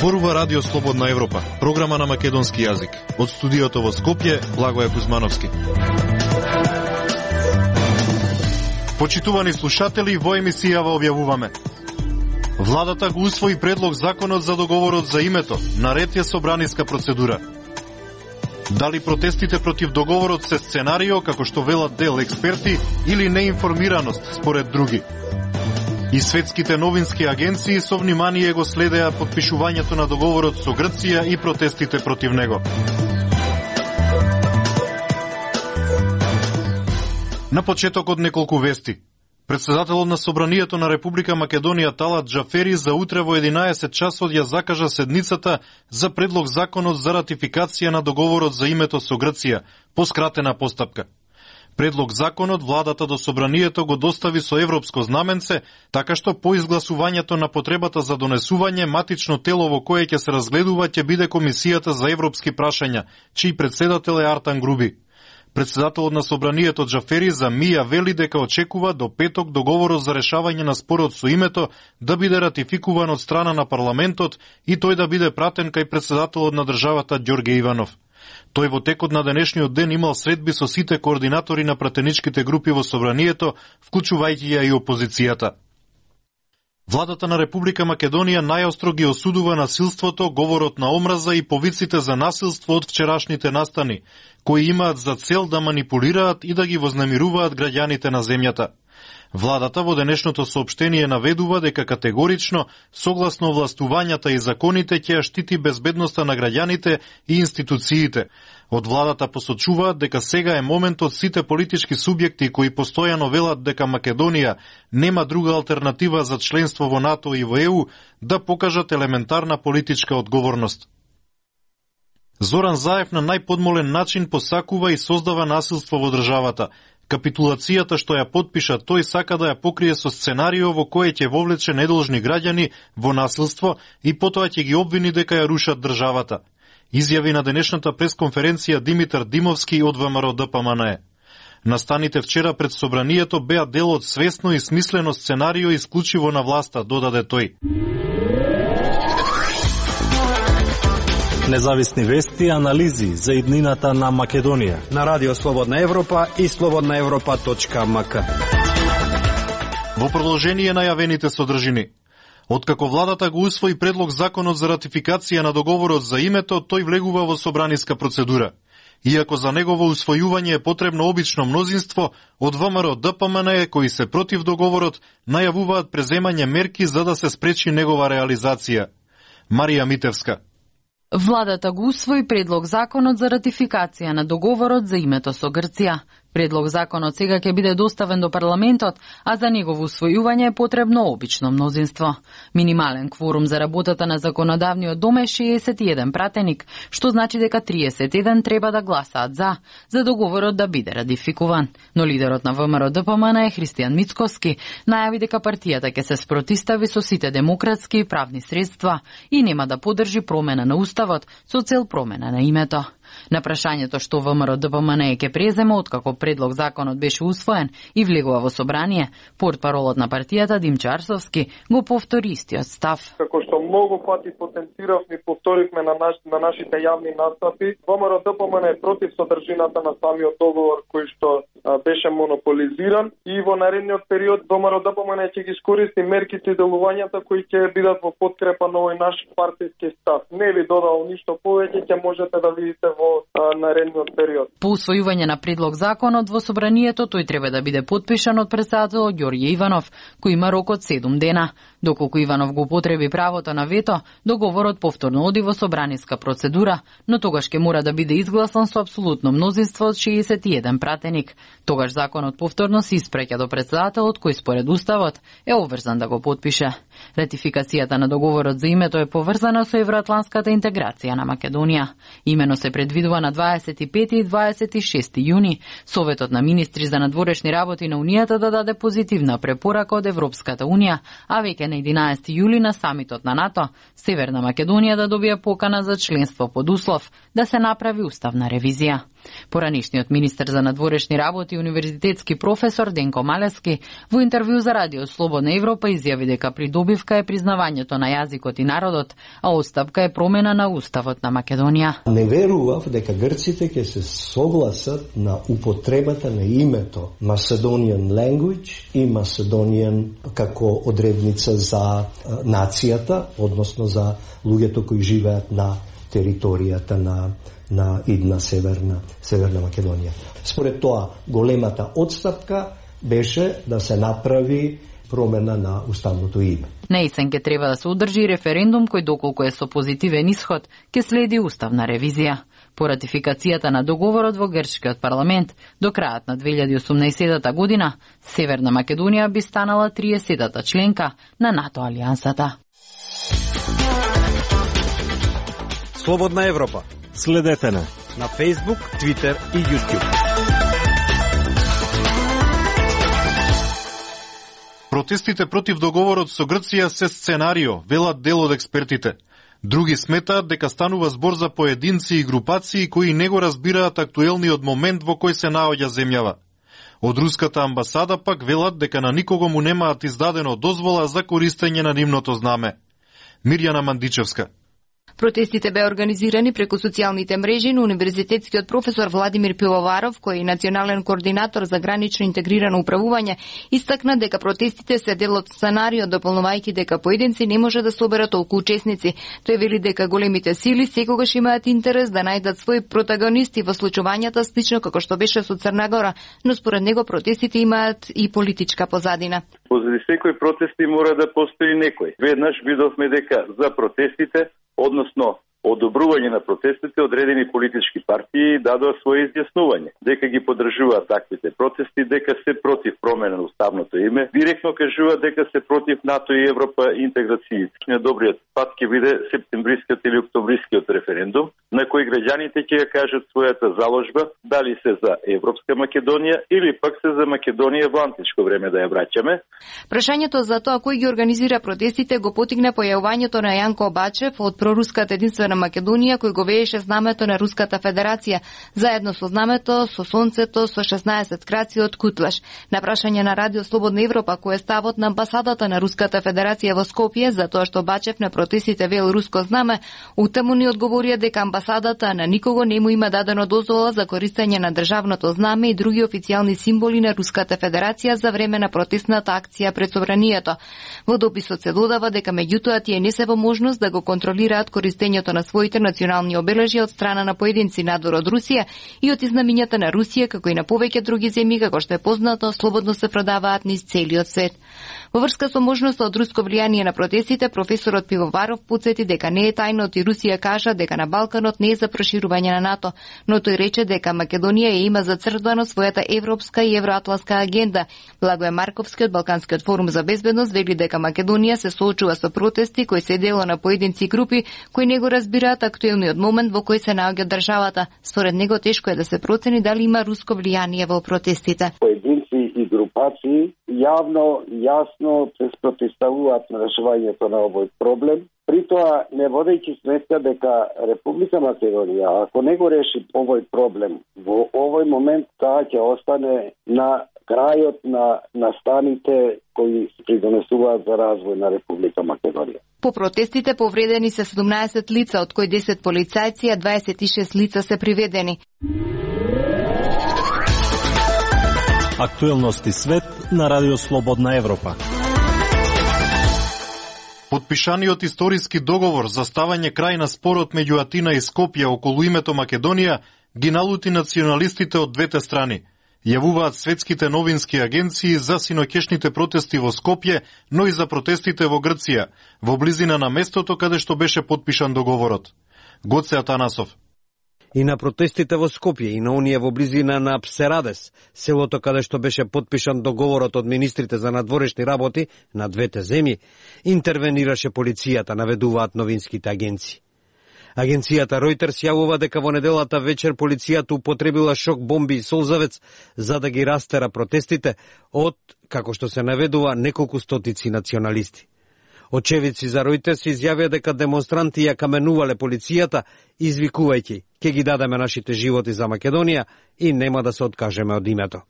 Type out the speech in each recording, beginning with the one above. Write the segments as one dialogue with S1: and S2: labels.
S1: Зборува Радио Слободна Европа, програма на македонски јазик. Од студиото во Скопје, Благоје Кузмановски. Почитувани слушатели, во емисијава објавуваме: Владата го усвои предлог законот за договорот за името, наред е собраниска процедура. Дали протестите против договорот се сценарио, како што велат дел експерти, или неинформираност, според други? И светските новински агенции со внимание го следеа подпишувањето на договорот со Грција и протестите против него. На почетокот неколку вести. Председателот на Собранието на Република Македонија Талат Џафери за утре во 11 часот ја закажа седницата за предлог законот за ратификација на договорот за името со Грција, по скратена постапка. Предлог законот владата до Собранието го достави со европско знаменце, така што по изгласувањето на потребата за донесување, матично тело во кое ќе се разгледува ќе биде Комисијата за европски прашања, чиј председател е Артан Груби. Председателот на Собранието Џафери за МИА вели дека очекува до петок договорот за решавање на спорот со името да биде ратификуван од страна на парламентот и тој да биде пратен кај председателот на државата Ѓорге Иванов. Тој во текот на денешниот ден имал средби со сите координатори на пратеничките групи во Собранието, вклучувајќи ја и опозицијата. Владата на Република Македонија најостро ги осудува насилството, говорот на омраза и повиците за насилство од вчерашните настани, кои имаат за цел да манипулираат и да ги вознемируваат граѓаните на земјата. Владата во денешното соопштение наведува дека категорично, согласно властувањата и законите, ќе ја штити безбедноста на граѓаните и институциите. Од владата посочуваат дека сега е моментот сите политички субјекти кои постојано велат дека Македонија нема друга алтернатива за членство во НАТО и во ЕУ да покажат елементарна политичка одговорност. Зоран Заев на најподмолен начин посакува и создава насилство во државата. Капитулацијата што ја подпиша тој сака да ја покрие со сценарио во кое ќе вовлече недолжни граѓани во насилство и потоа ќе ги обвини дека ја рушат државата. Изјави на денешната пресконференција Димитар Димовски од ВМРО ДПМНЕ. Настаните вчера пред Собранието беа дел од свесно и смислено сценарио исклучиво на власта, додаде тој.
S2: Независни вести и анализи за иднината на Македонија
S3: на Радио Слободна Европа и slobodnaevropa.mk.
S1: Во продолжение на јавените содржини. Откако владата го усвои предлог законот за ратификација на договорот за името, тој влегува во собраниска процедура. Иако за негово усвојување е потребно обично мнозинство, од ВМРО ДПМНЕ кои се против договорот најавуваат преземање мерки за да се спречи негова реализација. Марија Митевска.
S4: Владата го усвои предлог законот за ратификација на договорот за името со Грција. Предлог законот сега ќе биде доставен до парламентот, а за негово усвојување е потребно обично мнозинство. Минимален кворум за работата на законодавниот дом е 61 пратеник, што значи дека 31 треба да гласаат за договорот да биде ратификуван. Но лидерот на ВМРО ДПМНЕ Христијан Мицкоски најави дека партијата ќе се спротистави со сите демократски и правни средства и нема да поддржи промена на уставот со цел промена на името. На прашањето што ВМРО ДПМНЕ ќе презема откако предлог законот беше усвоен и влегува во собрание, портпаролот на партијата Димчо Арсовски го повтори истиот став.
S5: Како што многу пати потенциравме и повторивме на нашите јавни настапи, ВМРО ДПМНЕ е против содржината на самиот договор кој што беше монополизиран и во наредниот период ВМРО ДПМНЕ ќе ги искористи мерките и делувањата кои ќе бидат во подкрепа на овој наш партиски став. Не ви додал ништо повеќе, ќе можете да видите во наредниот период.
S4: По усвојување на предлог законот во собранието, тој треба да биде подпишан од председателот Ѓорѓе Иванов, кој има рок од 7 дена. Доколку Иванов го употреби правото на вето, договорот повторно оди во собраниска процедура, но тогаш ќе мора да биде изгласан со апсолутно мнозинство од 61 пратеник. Тогаш законот повторно се испреќа до председателот кој според уставот е обврзан да го подпише. Ратификацијата на договорот за името е поврзана со евроатлантската интеграција на Македонија. Имено се предвидува на 25 и 26 јуни Советот на министри за надворешни работи на Унијата да даде позитивна препорака од Европската Унија, а веќе на 11 јули на самитот на НАТО, Северна Македонија да добија покана за членство под услов да се направи уставна ревизија. Поранишниот министер за надворешни работи и универзитетски професор Денко Малески во интервју за Радио Слободна Европа изјави дека придобивка е признавањето на јазикот и народот, а оставка е промена на уставот на Македонија.
S6: Не верував дека грците ќе се согласат на употребата на името Macedonian Language и Macedonian како одредница за нацијата, односно за луѓето кои живеат на територијата на идна Северна Македонија. Според тоа, големата отстапка беше да се направи промена на уставното име.
S4: На есен ќе треба да се одржи референдум кој доколку е со позитивен исход, ќе следи уставна ревизија. По ратификацијата на договорот во грчкиот парламент, до крајот на 2018 година, Северна Македонија би станала 30-та членка на НАТО алијансата.
S3: Слободна Европа.
S2: Следете на
S3: Facebook, Twitter и YouTube.
S1: Протестите против договорот со Грција се сценарио, велат дел од експертите. Други сметаат дека станува збор за поединци и групации кои не го разбираат актуелниот момент во кој се наоѓа земјава. Од руската амбасада пак велат дека на никого му немаат издадено дозвола за користење на нивното знаме. Мирјана Мандичевска.
S7: Протестите беа организирани преку социјалните мрежи на универзитетскиот професор Владимир Пивоваров, кој е национален координатор за гранично интегрирано управување, истакна дека протестите се дел од сценарио, дополнувајќи дека поединци не може да соберат толку учесници. Тој вели дека големите сили секогаш имаат интерес да најдат своји протагонисти во случувањата слично како што беше со Црна Гора, но според него протестите имаат и политичка позадина.
S8: Позади секој протести мора да постои некој. Веднаш видовме дека за протестите, односно одобрување на протестите, одредени политички партии дадоа свое изјаснување, дека ги поддржуваат таквите протести, дека се против промена на уставното име, директно кажуваат дека се против НАТО и Европа интеграција. Добриот пат ќе биде септемврискиот или октомврискиот референдум, на кој граѓаните ќе ја кажат својата заложба, дали се за Европска Македонија или пак се за Македонија во античко време да ја враќаме.
S7: Прашањето за тоа кој ги организира протестите го потигна појавувањето на Јанко Бачев од проруската единствена Македонија, кој го вееше знамето на Руската Федерација, заедно со знамето, со сонцето, со 16 краци од Кутлаш. На прашање на Радио Слободна Европа, кој е ставот на амбасадата на Руската Федерација во Скопје, за тоа што Бачев на протестите вел руско знаме, утаму ни одговорија дека амбасадата на никого не му има дадено дозвола за користење на државното знаме и други официјални символи на Руската Федерација за време на протестната акција пред собранието. Во дописот се додава дека меѓутоа тие не се во можност да го контролираат користењето на своите национални обележја од страна на поединци надвор од Русија и од изнамињата на Русија, како и на повеќе други земји, како што е познато, слободно се продаваат низ целиот свет. Во врска со можноста од руско влијание на протестите, професорот Пивоваров потсети дека не е тајно и Русија кажа дека на Балканот не е за проширување на НАТО, но тој рече дека Македонија ја има зацртано својата европска и евроатланска агенда. Благое Марковски од Балканскиот форум за безбедност вели дека Македонија се соочува со протести кои се дело на поединци и групи кои не го разбираат актуелниот момент во кој се наоѓа државата. Според него тешко е да се процени дали има руско влијание во протестите.
S9: Поединци и групации јавно, јасно се спротивставуваат на решувањето на овој проблем. При тоа, не водејќи сметка дека Република Македонија, ако не го реши овој проблем, во овој момент таа ќе остане на крајот на станите кои придонесуваат за развој на Република Македонија.
S7: По протестите повредени се 17 лица, од кои 10 полицајци, а 26 лица се приведени.
S2: Актуелности свет на Радио Слободна Европа.
S1: Подпишаниот историски договор за ставање крај на спорот меѓу Атина и Скопје околу името Македонија ги налути националистите од двете страни. Јавуваат светските новински агенции за синоќешните протести во Скопје, но и за протестите во Грција, во близина на местото каде што беше подпишан договорот. Гоце Атанасов.
S3: И на протестите во Скопје и на оние во близина на Псерадес, селото каде што беше подпишан договорот од министрите за надворешни работи на двете земји, интервенираше полицијата, наведуваат новинските агенции. Агенцијата Reuters јавува дека во неделата вечер полицијата употребила шок бомби и солзавец за да ги растера протестите од, како што се наведува, неколку стотици националисти. Очевидци за Ројтерс изјавија дека демонстранти ја каменувале полицијата, извикувајќи: "Ке ги дадеме нашите животи за Македонија и нема да се откажеме од името."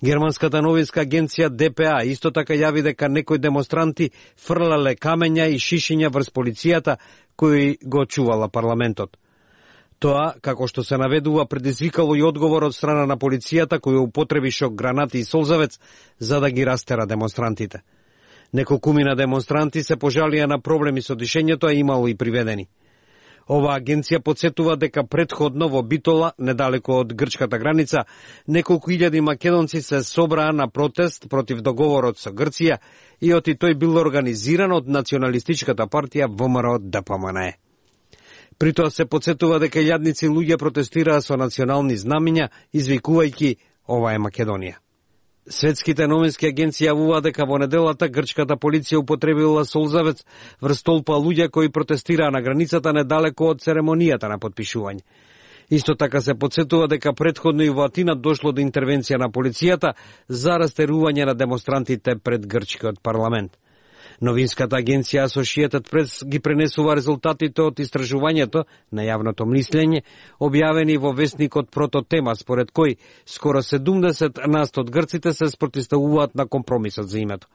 S3: Германската новинска агенција ДПА исто така јави дека некои демонстранти фрлале камења и шишиња врз полицијата кои го чувала парламентот. Тоа, како што се наведува, предизвикало и одговор од страна на полицијата која употреби шок гранати и солзавец за да ги растера демонстрантите. Неколкумина демонстранти се пожалија на проблеми со дишењето, а имало и приведени. Ова агенција подсетува дека претходно во Битола, недалеко од грчката граница, неколку илјади македонци се собраа на протест против договорот со Грција и оти тој бил организиран од националистичката партија ВМРО-ДПМНЕ. При тоа се подсетува дека илјадници луѓе протестираа со национални знамиња, извикувајќи: "Ова е Македонија." Светските новински агенции јавуваа дека во неделата грчката полиција употребила солзавец врз толпа луѓе кои протестираа на границата недалеко од церемонијата на потпишување. Исто така се подсетува дека претходно и во Атина дошло до интервенција на полицијата за растерување на демонстрантите пред грчкиот парламент. Новинската агенција Associated Press ги пренесува резултатите од истражувањето на јавното мислење, објавени во весникот Прототема, според кој скоро 70% од грците се спротивставуваат на компромисот за името.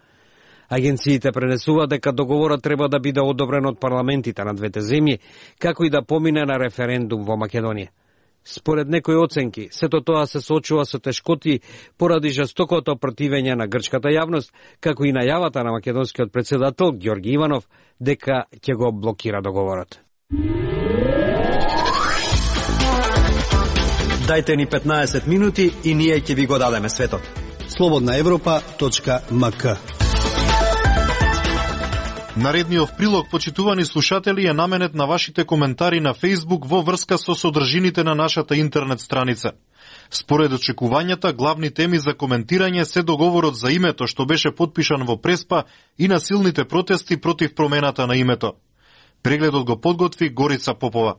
S3: Агенциите пренесуваат дека договорот треба да биде одобрен од парламентите на двете земји, како и да помине на референдум во Македонија. Според некои оценки, сето тоа се соочува со тешкоти поради жестокото противење на грчката јавност, како и најавата на македонскиот претседател Ѓорги Иванов дека ќе го блокира договорот.
S2: Дајте ни 15 минути и ние ќе ви го дадеме светот.
S10: slobodnaevropa.mk.
S1: Наредниот прилог, почитувани слушатели, е наменет на вашите коментари на Facebook во врска со содржините на нашата интернет страница. Според очекувањата, главни теми за коментирање се договорот за името што беше потпишан во Преспа и насилните протести против промената на името. Прегледот го подготви Горица Попова.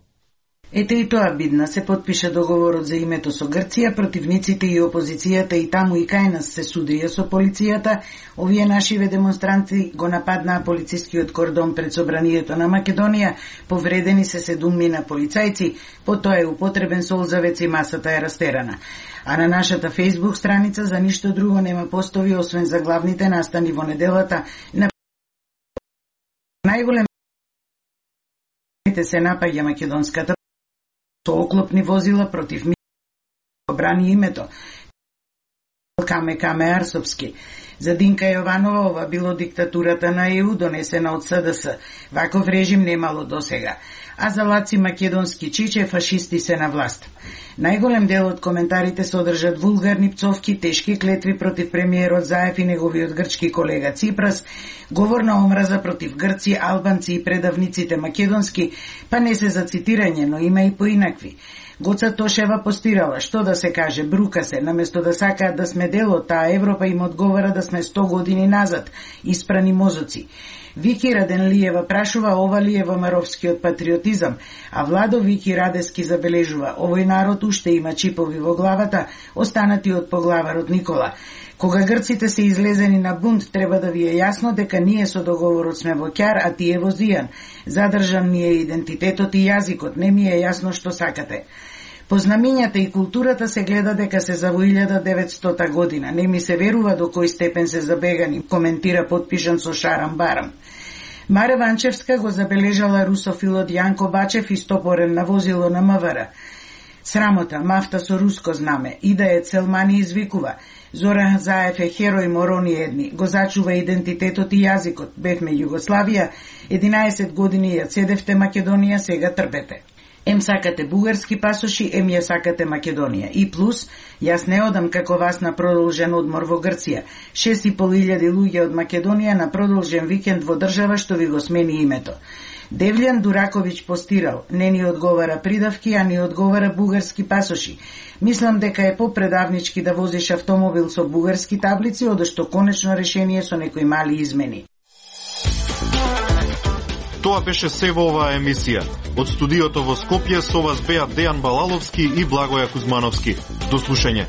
S11: Ете и тоа бидна, се потпиша договорот за името со Грција, противниците и опозицијата и таму и кај нас се судија со полицијата. Овие нашиве демонстранти го нападнаа полицискиот кордон пред собранието на Македонија, повредени се 7 полицајци, потоа е употребен солзавец и масата е растерана. А на нашата Facebook страница за ништо друго нема постови освен за главните настани во неделата на најголем се напаѓа македонската со оклопни возила против брани името. Каме Арсопски. За Динка Јованова ова било диктатурата на ЕУ донесена од СДС. Ваков режим немало досега. А за Лаци Македонски Чиче фашисти се на власт. Најголем дел од коментарите содржат вулгарни пцовки, тешки клетви против премиерот Заев и неговиот грчки колега Ципрас, говор на омраза против грци, албанци и предавниците македонски, па не се за цитирање, но има и поинакви. Гоца Тошева постирала, што да се каже, брука се, наместо да сакаат да сме дел од таа Европа им одговара да сме 100 години назад, испрани мозоци. Вики Раденлиева прашува ова ли е ВМРО-вскиот патриотизам, а Владо Вики Радески забележува, овој народ уште има чипови во главата, останати од поглаварот Никола. Кога грците се излезени на бунт, треба да ви е јасно дека ние со договорот сме во ќар, а тие во зијан. Задржан ми е идентитетот и јазикот, не ми е јасно што сакате. По знамињата и културата се гледа дека се за во 1900 година. Не ми се верува до кој степен се забегани, коментира потпишан со Шарам Барам. Маре Ванчевска го забележала русофилот Јанко Бачев истопорен на возило на МВР. Срамота, мафта со руско знаме, и да е Целмани извикува. Зоран Заев е херој морони едни, го зачува идентитетот и јазикот. Бевме Југославија, 11 години ја цедевте Македонија, сега трпете. Ем сакате бугарски пасоши, ем ја сакате Македонија. И плюс, јас не одам како вас на продолжен одмор во Грција. 6.500 луѓе од Македонија на продолжен викенд во држава што ви го смени името. Девљан Дураковиќ постирал, не ни одговара придавки, а ни одговара бугарски пасоши. Мислам дека е попредавнички да возиш автомобил со бугарски таблици, одошто конечно решение со некои мали измени.
S1: Тоа беше се во оваа емисија. Од студиото во Скопје со вас беа Дејан Балаловски и Благоја Кузмановски. До слушање.